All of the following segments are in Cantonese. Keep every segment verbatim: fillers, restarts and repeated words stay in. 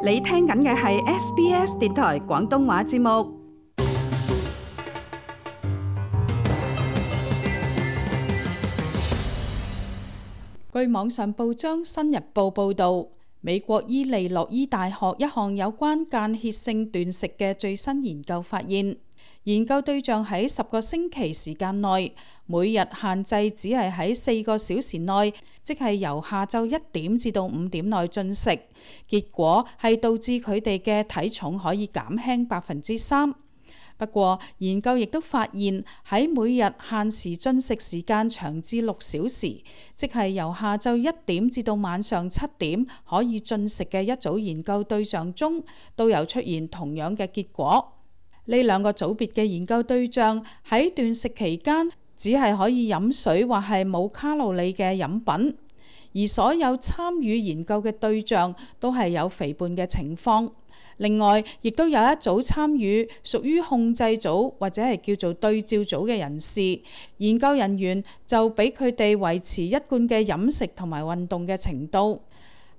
你聽緊嘅係 S B S 電台廣東話節目。據網上報章《新日報》報導，美國伊利諾伊大學一項有關間歇性斷食嘅最新研究發現，研究對象喺十個星期時間內，每日限制只係喺四個小時內，即係由下晝一點至到五點內進食。結果係導致佢哋嘅體重可以減輕百分之三。不過，研究亦都發現喺每日限時進食時間長至六小時，即係由下晝一點至到晚上七點可以進食嘅一組研究對象中，都有出現同樣嘅結果。呢兩個組別嘅研究對象喺斷食期間只係可以飲水或係冇卡路里嘅飲品，而所有參與研究嘅對象都係有肥胖嘅情況。另外，亦都有一組參與屬於控制組或者係叫做對照組嘅人士，研究人員就俾佢哋維持一貫嘅飲食同埋運動嘅程度。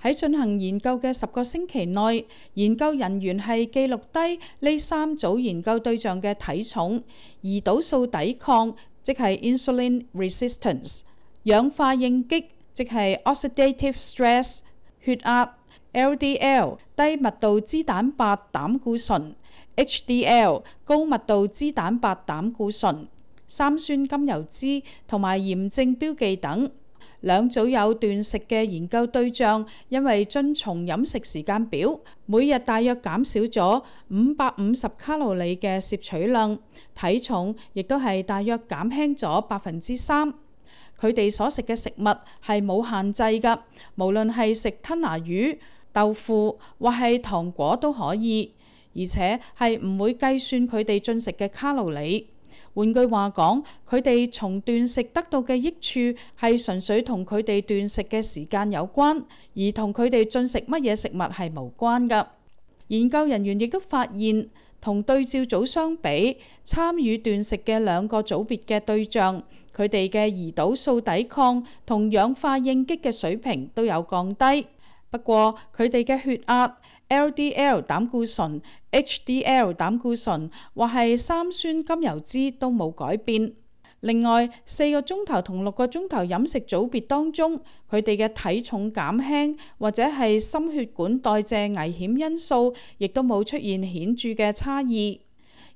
喺進行研究嘅十個星期內，研究人員係記錄低呢三組研究對象嘅體重、胰島素抵抗，即係 insulin resistance、氧化應激，即係 oxidative stress、血壓、L D L 低密度脂蛋白膽固醇、H D L 高密度脂蛋白膽固醇、三酸甘油酯同埋炎症標記等。兩組有斷食嘅研究對象，因為遵從飲食時間表，每日大約減少咗五百五十卡路里嘅攝取量，體重亦都係大約減輕咗百分之三。佢哋所食嘅食物係冇限制㗎，無論係食吞拿魚、豆腐或係糖果都可以，而且係唔會計算佢哋進食嘅卡路里。換句話講，佢哋從斷食得到嘅益處係純粹同佢哋斷食嘅時間有關，而同佢哋進食乜嘢食物係無關㗎。研究人員亦都發現，同對照組相比，參與斷食嘅兩個組別嘅對象，佢哋嘅胰島素抵抗同氧化應激嘅水平都有降低。不過，佢哋嘅血壓、L D L 膽固醇、H D L 膽固醇或係三酸甘油酯都冇改變。另外，四個鐘頭同六個鐘頭飲食組別當中，佢哋嘅體重減輕或者係心血管代謝危險因素，亦都冇出現顯著嘅差異。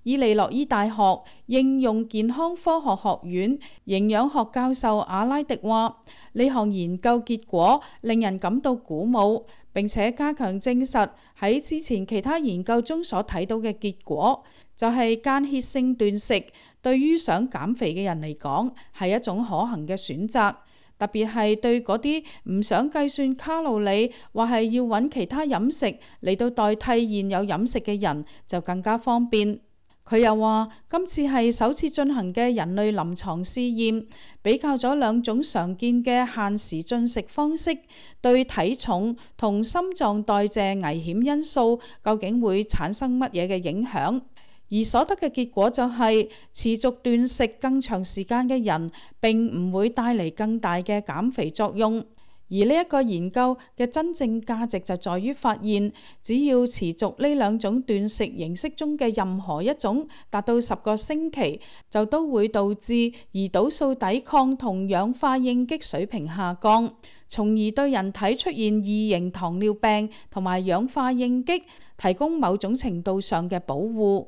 伊利諾伊大學應用健康科學學院營養學教授阿拉迪話：呢項研究結果令人感到鼓舞，並且加強證實喺之前其他研究中所睇到嘅結果，就係間歇性斷食對於想減肥嘅人嚟講係一種可行嘅選擇，特別係對嗰啲唔想計算卡路里或係要揾其他飲食嚟到代替現有飲食嘅人就更加方便。佢又話，今次係首次進行嘅人類臨床試驗，比較咗兩種常見嘅限時進食方式對體重同心臟代謝危險因素究竟會產生乜嘢嘅影響，而所得嘅結果就係、是、持續斷食更長時間嘅人並唔會帶嚟更大嘅減肥作用。而呢一個研究嘅真正價值就在於發現，只要持續呢兩種斷食形式中嘅任何一種達到十個星期，就都會導致胰島素抵抗同氧化應激水平下降，從而對人體出現二型糖尿病同埋氧化應激提供某種程度上嘅保護。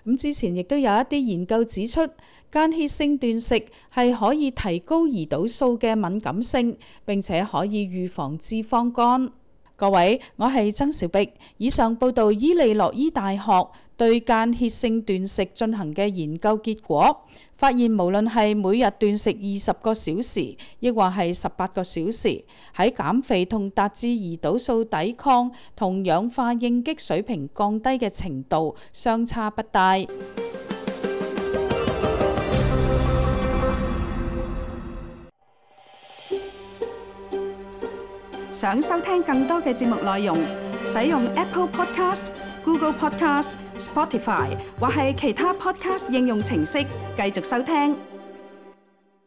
咁之前亦都有一啲研究指出，間歇性斷食係可以提高胰島素嘅敏感性，並且可以預防脂肪肝。各位，我係曾兆碧，以上報道伊利諾伊大學對間歇性斷食進行嘅研究結果，發現無論係每日斷食二十個小時，亦或係十八個小時，喺減肥同達至胰島素抵抗同氧化應激水平降低嘅程度相差不大。想收聽更多嘅節目內容，使用 Apple Podcast、Google Podcast、Spotify 或係其他 Podcast 應用程式繼續收聽。